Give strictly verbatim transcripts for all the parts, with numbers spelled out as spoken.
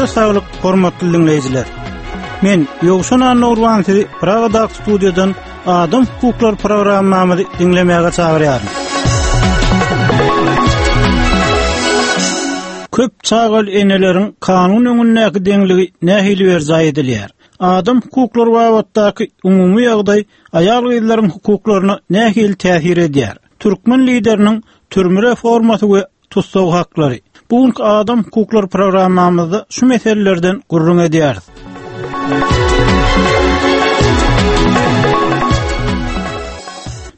Janyňyza saglyk, hormatly dinleýjiler. Men Ýowşan Annurwan sizi Pragadaky studiýadan Adam hukuklary programmamyzy diňlemäge çagyrýaryn. Köp çagaly eneleriň kanun öňündäki deňligi nähili berjaý edilýär? Adam hukuklary babatdaky umumy ýagdaý aýal gyzlaryň hukuklaryna nähili täsir edýär? Türkmen lideriniň türme reformasy we tussag haklary. Bu günki Adam hukuklary programmamyzda şu meselelerden gürrüň edýäris.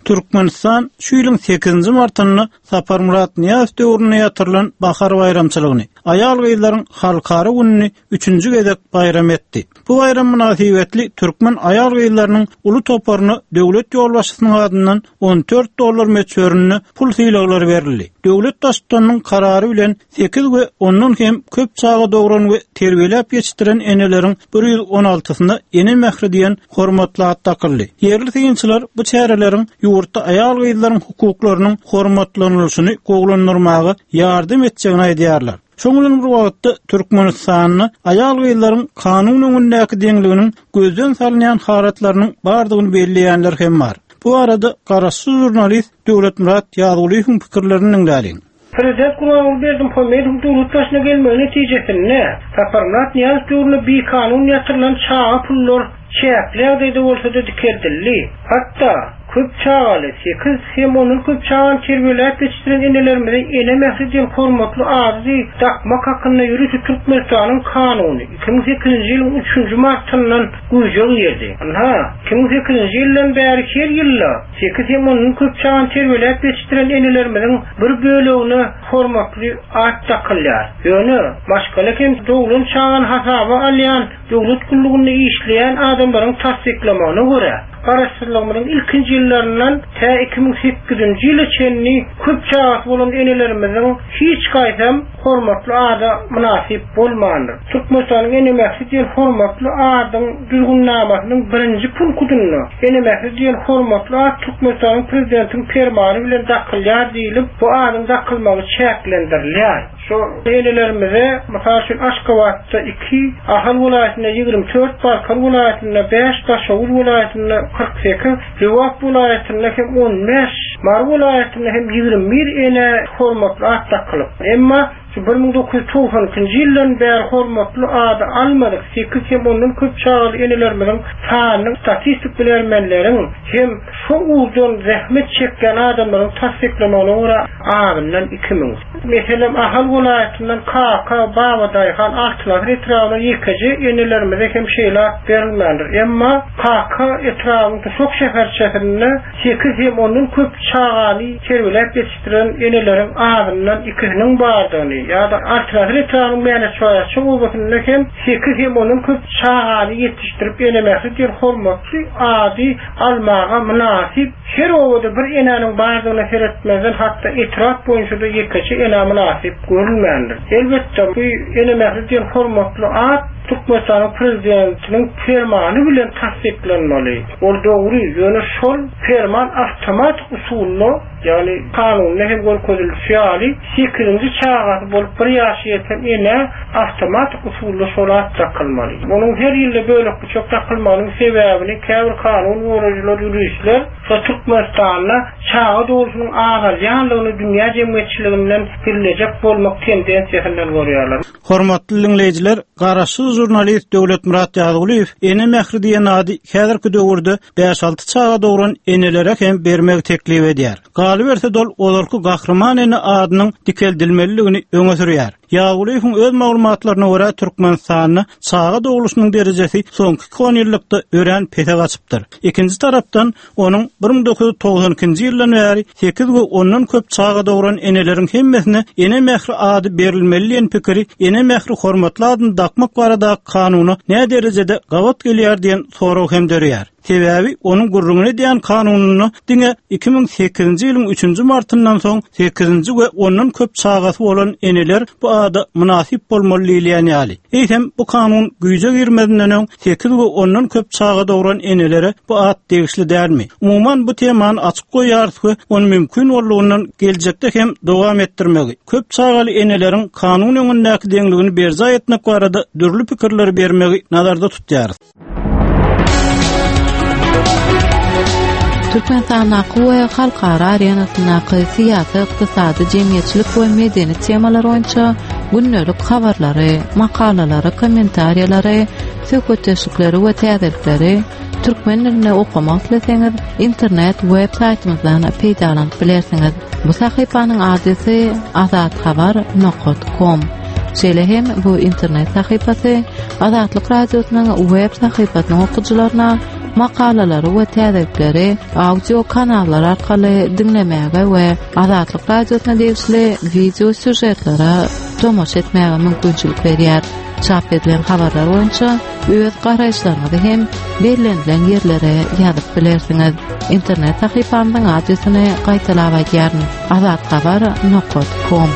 Türkmenistan şu ýylyň sekizinji martynda Saparmyrat Nyýazow döwründe ýatyrylan Bahar baýramçylygyny, aýal gyzlaryň halkara gününi üçünji gezek baýram etdi. Bu baýram mynasybetli türkmen aýal gyzlarynyň uly toparyna döwlet ýolbaşçysynyň adyndan on dört dollar möçberinde pul sylaglary berildi. Döwlet baştutanynyň karary bilen sekiz we ondan hem köp çaga dogran we terbiýeläp ýetişdiren eneleriň bir ýüz on altysyna ene mähri diýen hormatly at dakyldy. Ýerli synçylar bu çäreleriň ýurtda aýal gyzlaryň hukuklarynyň hormatlanylyşyny gowulandyrmaga ýardam etjegini aýdýarlar. Şonuň bilen bir wagtda Türkmenistanda aýal gyzlaryň kanun öňündäki deňliginiň gözden salynýan halatlarynyň bardygyny belleýänler hem bar. Bu arada garaşsyz jurnalist Döwletmyrat Ýazgulyýewiň pikirlerini diňläliň. Prezident Gurbanguly Berdimuhamedowyň döwlet başyna gelmegi netijesinde Saparmyrat Nyýazow döwründe bikanun ýatyrylan çaga pullar çäkli ýagdaýda bolsa-da dikeldildi. Hatda köp çagaly, sekiz hem ondan köp çagany terbiýeläp ýetişdiren enelerimize ene mähri diýen hormatly ady dakmak hakynda ýörite Türkmenistanyň kanuny iki müň sekizinji ýylyň üçünji martyndan güýje girdi. Ynha, iki müň sekizinji ýyldan bäri her ýylda sekiz hem ondan köp çagany terbiýeläp ýetişdiren enelerimiziň bir bölegine hormatly at dakylýar. Ýöne maşgala hem doglan çagany hasaba alýan döwlet gullugynda işleýän adamlaryň tassyklamagyna görä, garaşsyzlygymyzyň ilkinji ýyllaryndan tä iki müň sekizinji ýyla çenli köp çagasy bolan enelerimiziň hiç gaýsam hormatly ada mynasyp bolmandyr. Türkmenistanyň ene mähri diýen hormatly adyň düzgünnamasynyň birinji punktunda ene mähri diýen hormatly at Türkmenistanyň prezidentiniň permany bilen dakylýar diýilip, bu adyň dakylmagy çäklendirilýär. Şu enelerimize, mysal üçin Aşgabatda iki, Ahal welaýatynda ýigrimi dört, Balkan welaýatynda bäş, Daşoguz welaýatynda kyrk sekiz, Lebap welaýatynda hem on bäş, Mary welaýatynda hem ýigrimi bir ene hormatly at dakylyp. Emma şu bir müň dokuz ýüz togsan ikinji ýyldan bäri hormatly ady almadyk sekiz hem ondan köp çagaly enelerimiziň sanynyň statistik bilermenleriň hem şu ugurdan zähmet çekýän adamlaryň tassyklamagyna görä azyndan iki müň. Meselem, Ahal welaýatyndan Kaka, Babadaýhan, Altyn Asyr etrabyna ýekeje enelerimize hem şeýle at berilmändir. Emma Kaka etrabynyň Duşak şäherçesinde sekiz hem ondan köp çagany terbiýeläp ýetişdiren eneleriň azyndan ikisiniň bardygyny ýa-da Altyn Asyr etrabynyň Mäneçoýaçy obasynda hem sekiz hem ondan köp çagany ýetişdirip ene mähri diýen hormatly ady almaga mynasyp her obada bir enäniň bardygyna seretmezden hatda etrap boýunça da ýekeje ene mynasyp görülmändir. Elbetde bu ene mähri diýen hormatly at Türkmenistanyň prezidentiniň permany bilen tassyklanmaly. Ol dogry, ýöne şol perman awtomatik usulda, ýagny kanunda hem görkezilişi ýaly sekizinji çagasy bolup bir ýaşy ýeten ene awtomatik usulda şol at dakylmaly. Onuň her ýylda bölek bıçak dakylmagynyň sebäbini käbir kanun goraýjylar, ýuristler şo Türkmenistanda çaga dogrusynyň azalýanlygyny dünýä jemgyýetçiliginden gizlejek bolmak tendensiýasyndan görýärler. Hormatly dinleýjiler, garaşsyz jurnalist Döwletmyrat Ýazgulyýew ene mähri diýen ady häzirki döwürde bäş alty çaga dogran enelere hem bermegi teklip edýär. Galyberse dol ozalky gahryman ene adynyň dikeldilmeliligini öňe sürýär. Ýazgulyýewiň öz maglumatlaryna görä Türkmenistanda çaga doguluşynyň derejesi soňky iki on ýyllykda örän pese gaçypdyr. Ikinji tarapdan onuň bir müň dokuz ýüz togsan ikinji ýyldan bäri sekiz we ondan köp çaga dogran eneleriň hemmesine ene mähri ady berilmeli diýen pikiri ene mähri hormatly adyny dakmak baradaky kanuna nä derejede gabat gelýär diýen sorag hem döreýär. Sebäbi onuň gürrüňini edýän kanunynda diňe iki müň sekizinji ýylyň üçünji martyndan soň sekizinji we ondan köp çagasy bolan eneler bu ada mynasyp bolmaly diýilýän ýaly. Eýsem bu kanun güýje girmezinden öň sekiz we ondan köp çaga dogran enelere bu at degişli dälmi? Umuman bu temany açyk goýarys we ony mümkin boldugyny geljekde hem dowam etdirmegi, köp çagaly eneleriň kanun öňündäki deňligini berjaý etmek barada dürli pikirleri bermegi nazarda tutýarys. Türkmenistandaky we halkara arenasyndaky syýasy, ykdysady, jemgyýetçilik we medeni temalar boýunça gündelik habarlary, makalalary, kommentariýalary, söhbetdeşlikleri we täzelikleri türkmen dilinde okamak isleseňiz, internet web saýtymyzdan peýdalanyp bilersiňiz. Bu sahypanyň adresi azathabar nokta com. Şeýle hem bu internet sahypasy Azatlyk Radiosynyň web sahypasynyň okyjylaryna makalalary we täzelikleri audio kanallar arkaly diňlemäge we Azatlyk Radiosyna degişli video sýužetlere tomaşa etmäge mümkinçilik berýär. Çap edilen habarlar boýunça öz garaýyşlaryňyzy hem bellenilen ýerlere ýazyp bilersiňiz. Internet sahypamyzyň adresini gaýtalap aýdýaryn: azathabar nokta com.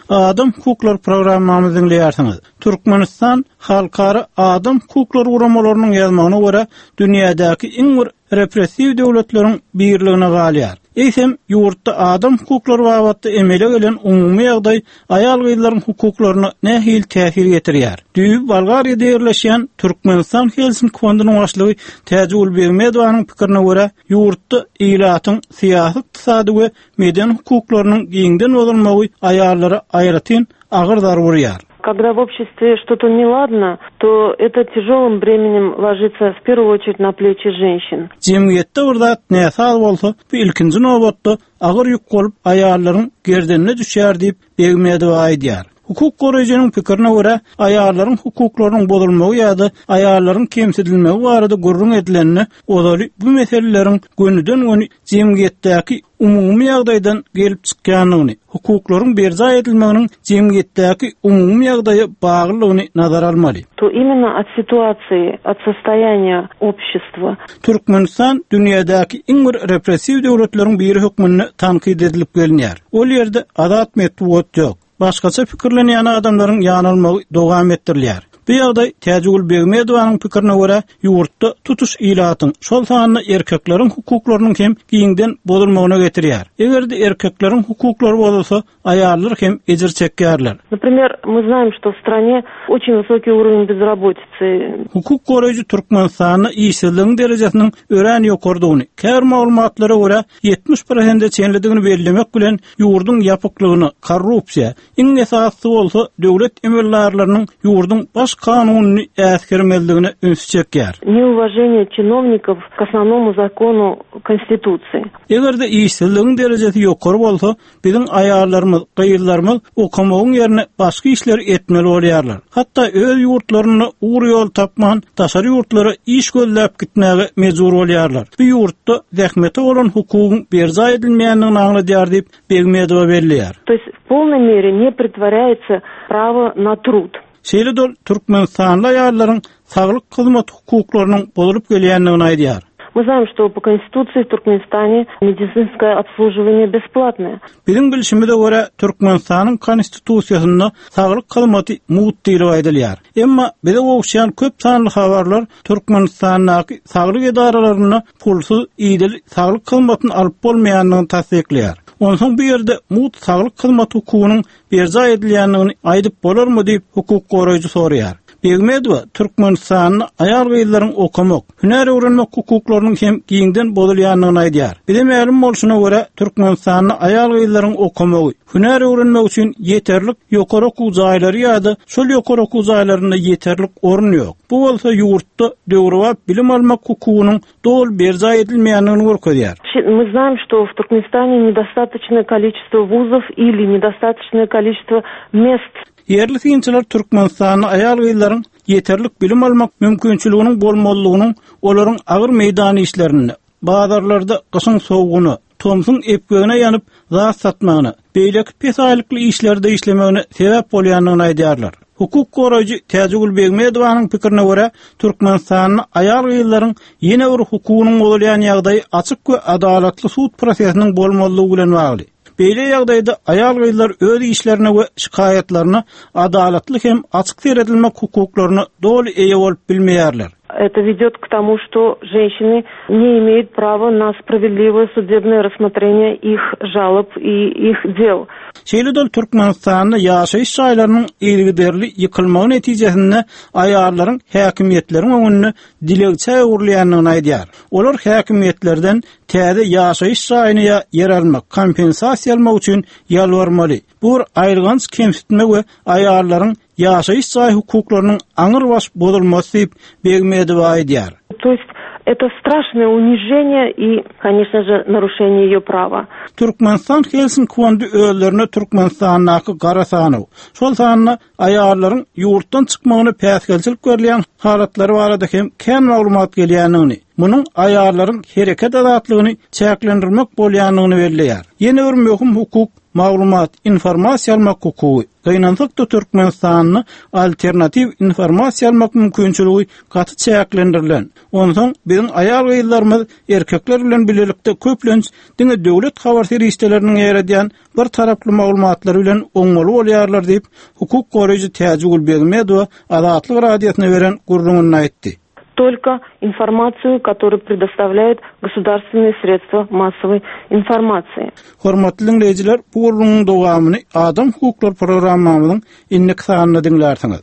Adam hukuklary programmamyzy dinleýärsiňiz. Türkmenistan Halkara Adam hukuklary guramalarynyň ýazmagyna görä dünýädäki iň bir repressiw döwletleriň birligine galýar. Eýsem ýurtda adam hukuklary babatda emele gelen umumy ýagdaý aýal-gyzlaryň hukuklaryna nähili täsir ýetirýär? Düýbi Bolgariýada ýerleşýän Türkmenistan Helsinki fondunyň başlygy Täjigül Begmedowanyň pikirine görä, ýurtda ilatyň syýasy, ykdysady we medeni hukuklarynyň giňden bozulmagy aýallara aýratyn agyr zarba urýar. Когда в обществе что-то неладно, то это тяжелым бременем ложится в первую очередь на плечи женщин. Jemgyýetde bir zat näsaz bolsa, bu ilkinji nobatda agyr ýük bolup aýallaryň gerdenine düşýär diýip Begmedowa aýdýar. Hukuk goraýjynyň pikirine görä, aýallaryň hukuklarynyň bozulmagy ýa-da aýallaryň kemsidilmegi barada gürrüň edilende, ozaly bu meseleleriň gönüden-göni jemgyýetdäki umumy ýagdaýdan gelip çykýandygyny, hukuklaryň berjaý edilmeginiň jemgyýetdäki umumy ýagdaýa baglylygyny nazara almaly. То именно от ситуации, от состояния общества. Türkmenistan dünýädäki iň bir repressiw döwletleriň biri hökmünde tankyt edilip gelinýär. Ol ýerde azat metbugat ýok. Başgaça pikirlenýän adamlaryň ýanalmagy dowam etdirilýär. Bu ýagdaý Täjigül Begmedowanyň pikirine görä, ýurtda tutuş ilatyň, şol sanda erkekleriň hukuklarynyň hem giňden bozulmagyna getirýär. Eger-de erkekleriň hukuklary bozulsa, aýallar hem ejir çekýärler. Например, мы знаем, что в стране очень высокий уровень безработицы. Hukuk goraýjy Türkmenistanda işsizligiň derejesiniň örän ýokardygyny, käbir maglumatlara görä ýetmiş prosente çenlidigini bellemek bilen ýurduň ýapyklygyny, korrupsiýa, iň esasy bolsa döwlet emeldarlarynyň ýurduň baş kanunyny äsgermezligine üns çekýär. Неуважение чиновников к основному закону Конституции. Eger-de işsizligiň derejesi ýokary bolsa, biziň aýallarymyz, gyzlarymyz okamagyň ýerine başga işleri etmeli bolýarlar. Hatda öz ýurtlaryna ugur ýol tapman, daşary ýurtlara iş gözläp gitmäge mejbur bolýarlar. Bu ýurtda zähmete bolan hukugyň berjaý edilmeýändigini aňladýar diýip Begmedowa belleýär. То есть в полной мере не претворяется право на труд. Şeýle de Türkmenistanly aýallaryň saglyk hyzmat hukuklarynyň bozulyp gelýändigini aýdýar. Мы знаем, что по Конституции в Туркменистане медицинское обслуживание бесплатное. Biziň bilşimize görä Türkmenistanyň Konstitusiýasynda saglyk hyzmaty mugt diýlip aýdylýar. Emma bize gowuşýan köp sanly habarlar Türkmenistandaky saglyk edaralarynda pulsuz idil saglyk hyzmatyny alyp bolmaýandygyny tassyklaýar. Onsoň bu ýerde mugt saglyk hyzmaty hukugynyň berjaý edilýändigini aýdyp bolarmy diýip hukuk goraýjy soraýar. Begmedowa Türkmenistanda aýal-gyzlaryň okamak, hünär öwrenmek hukuklarynyň hem giňden bozulýandygyny aýdýar. Bize mälim bolşuna görä Türkmenistanda aýal-gyzlaryň okamagy, hünär öwrenmek üçin ýeterlik ýokary okuw jaýlary ýa-da şol ýokary okuw jaýlarynda ýeterlik orun ýok. Bu bolsa ýurtda döwrebap bilim almak hukugynyň doly berjaý edilmeýändigini görkezýär. Мы знаем, что в Туркменистане недостаточное количество вузов или недостаточное количество мест. Ýerli synçylar Türkmenistanda aýal-gyzlaryň ýeterlik bilim almak mümkinçiliginiň bolmalygynyň olaryň agyr meýdan işlerinde, bazarlarda gyşyň sowugyna, tomsuň epgegine ýanyp zat satmagyna, beýleki pes aýlykly işlerde işlemegine sebäp bolýandygyny aýdýarlar. Hukuk goraýjy Täjigül Begmedowanyň pikirine görä, Türkmenistanda aýal-gyzlaryň ýene bir hukugynyň bozulýan ýagdaýy açyk we adalatly sud prosesiniň bolmazlygy bilen bagly. Beýle ýagdaýda aýal-gyzlar öz işlerine we şikaýatlaryna adalatly hem açyk seredilmek hukuklaryna doly eýe bolup bilmeýärler. Это ведет к тому, что женщины не имеют права на справедливое судебное рассмотрение их жалоб и их дел. Şeýle-de Türkmenistanda ýaşaýyş jaýlarynyň yzygiderli ýykylmagy netijesinde aýallaryň häkimiýetleriň öňünde dilegçä öwrülýändigini aýdýar. Olar häkimiýetlerden täze ýaşaýyş jaýyny ýa ýer almak, kompensasiýa almak üçin ýalbarmaly. Bu bir aýylganç kemsitme we aýallaryň ýaşaýyş jaý hukuklarynyň aňrybaş bozulmasy diýip Begmedowa aýdýar. То есть это страшное унижение и, конечно же, нарушение ее права. Türkmenistan Helsinki fondy özlerine Türkmenistandaky gara sanaw, şol sanda aýallaryň ýurtdan çykmagyny päsgelçilik berilýän halatlary barada hem kän maglumat gelýändigini, munuň aýallaryň hereket azatlygyny çäklendirmek bolýandygyny belleýär. Ýene bir möhüm hukuk maglumat informasiýa almak hukugy. Gynansak-da Türkmenistanda alternatiw informasiýa almak mümkinçiligi gaty çäklendirilen. Onsoň biziň aýal-gyzlarymyz erkekler bilen birlikde köplenç diňe döwlet habar serişdeleriniň ýeredýän bir taraply maglumatlary bilen oňmaly bolýarlar diýip, hukuk goraýjy Täjigül Begmedowa Azatlyk radiosyna beren gürrüňini aýtdy. Только информацию, которую предоставляют государственные средства массовой информации. Hormatly dinleýjiler, bu gürrüňiň dowamyny Adam hukuklary programmamyzyň indiki sanynda diňlärsiňiz.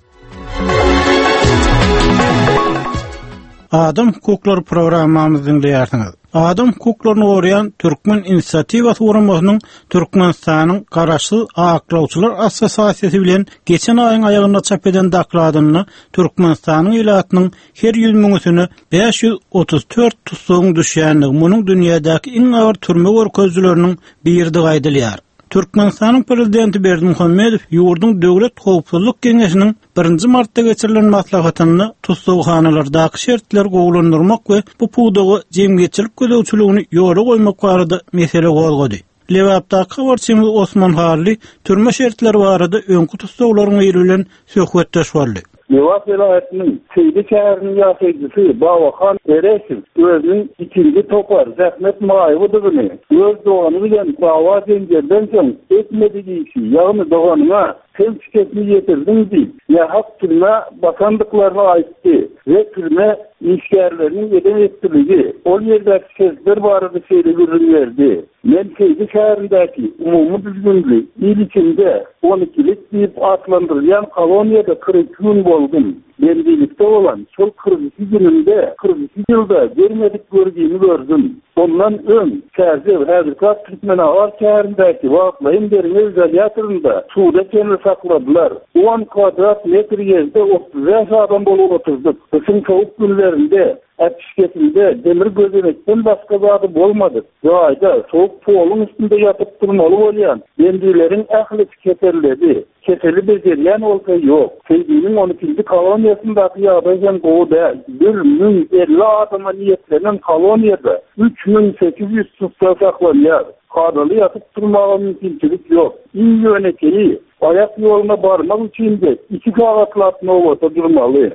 Adam hukuklary programmamyzy diňleýärsiňiz. Adam hukuklaryny goraýan Türkmen Inisiatiwasy guramasynyň Türkmenistanyň Garaşsyz Aklawçylar Assosiasiýasy bilen geçen aýyň aýagynda çap eden dokladynda Türkmenistanyň ilatynyň her ýüz müňüsine bäş ýüz otuz dört tussagyň düşýändigi, munuň dünýädäki iň agyr türme görkezijileriniň biridigi aýdylýar. Türkmenistanyň prezidenti Berdimuhamedow ýurduň Döwlet Howpsuzlyk Geňeşiniň birinji martda geçirilen maslahatynda tussaghanalardaky şertleri gowulandyrmak we bu pudaga jemgyýetçilik gözegçiligini ýola goýmak barada mesele gozgady. Lebapdaky habarçymyz Osman Harly türme şertleri barada öňki tussaglaryň biri bilen söhbetdeş boldy. Lebap welaýatynyň Seýdi şäheriniň ýaşaýjysy Babahan Ereşew özüniň ikinji topar zähmet maýybydygyny, öz dogany bilen dawa jenjelden soň etmedi işi, ýagny doganyna sen şikesini ýetirdiň diýip, nähak türme basandyklaryny aýtdy we türme işgärleriniň eden etdiligi, ol ýerdäki şertler barada şeýle gürrüň berdi. Men Seýdi şäherindäki umumy düzgünli il içinde on ikilik diýip atlandyrylýan koloniýada kyrk iki gün boldum. Bendilikde bolan şol kyrk iki gününde kyrk iki ýylda görmedik görgüni gördüm. Ondan öň Çärjew häzirki Türkmenabat şäherindäki wagtlaýyn derňew izolýatorynda suwda çenli sakladylar. on kvadrat metr ýerde otuz bäş adam bolup oturdyk. Gyşyň sowuk günlerinde äpişgesinde demir gözenekden başga zady bolmady. Jaýda sowuk poluň üstünde ýatyp durmaly bolýan bendileriň ählisi keselledi. Keseli bejerýän bolsa ýok. Seýdiniň on ikinji koloniýasyndaky ýagdaý hem gowy däl. Bir müň elli adama niýetlenen koloniýada üç müň sekiz ýüz tussag saklanýar. Kadaly ýatyp durmaga mümkinçilik ýok. Iň ýönekeýi aýak ýoluna barmak üçin de iki sagatlap nobata durmaly.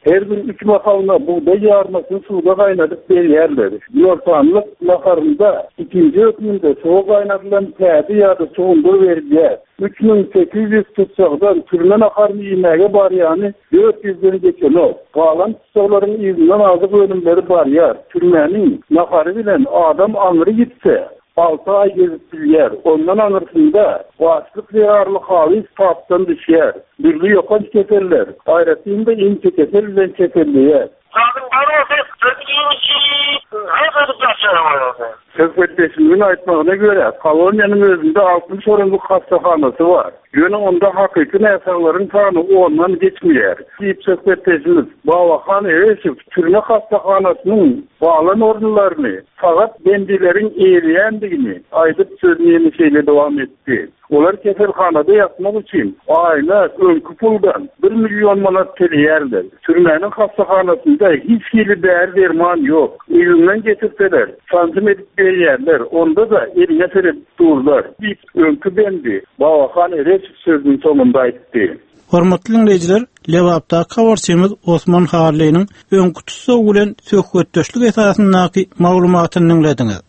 Her gün üç mahalyna bugdaý ýarmasyny suwda gaýnadyp berýärler. Ýortanlyk naharynda ikinji hökmünde suwa gaýnadylan täze ýa-da suwundyr berilýär. Üç müň sekiz ýüz tussagdan türme naharyny iýmäge barýany dört ýüzden geçenok. Galan tussaglaryň yzyndan azyk önümleri barýar. Türmäniň nahary bilen adam aňry gitse altı aý gezip bilýär. Ondan aňyrsynda başlyk zerarly halys tapdan düşýär. Dürli ýokanç keseller, aýratyn-da inçe kesel bilen keselleýär. Söhbetdeşimiziň aýtmagyna görä, koloniýanyň özünde altmyş orunlyk hastahanasy bar. Ýöne onda hakyky näsaglaryň sany ondan geçmeýär. Diýip söhbetdeşimiz Babahan Ereşew türme hastahanasynyň baglan orunlaryny sagat bendileriň eýleýändigini aýdyp sözüni şeýle dowam etdi. Olar keselhanada ýatmak üçin aýna öňki puldan bir milyon manat töleýärler. Türmäniň hastahanasynda hiç hili däri derman ýok. Öýünden getirip getirseler, sanjym edip berýärler, onda-da eliňe seredip durlar diýip, öňki bendi Babahan Ereşow sözüniň soňunda aýtdy. Hormatly diňleýjiler, Lebapdaky habarçymyz Osman Hallynyň öňki tussag bilen söhbetdeşlik esasyndaky maglumatyny diňlediňiz.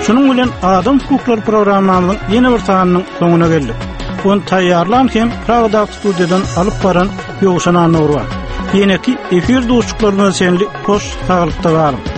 Şunuň bilen Adam hukuklary programmamyzyň ýene bir sanynyň soňuna geldik. Ony taýýarlan hem Pragadaky studiýadan alyp baran Ýowşan Annurwa. Ýeneki efir duşuşyklarymyza çenli hoş saglykda galyň.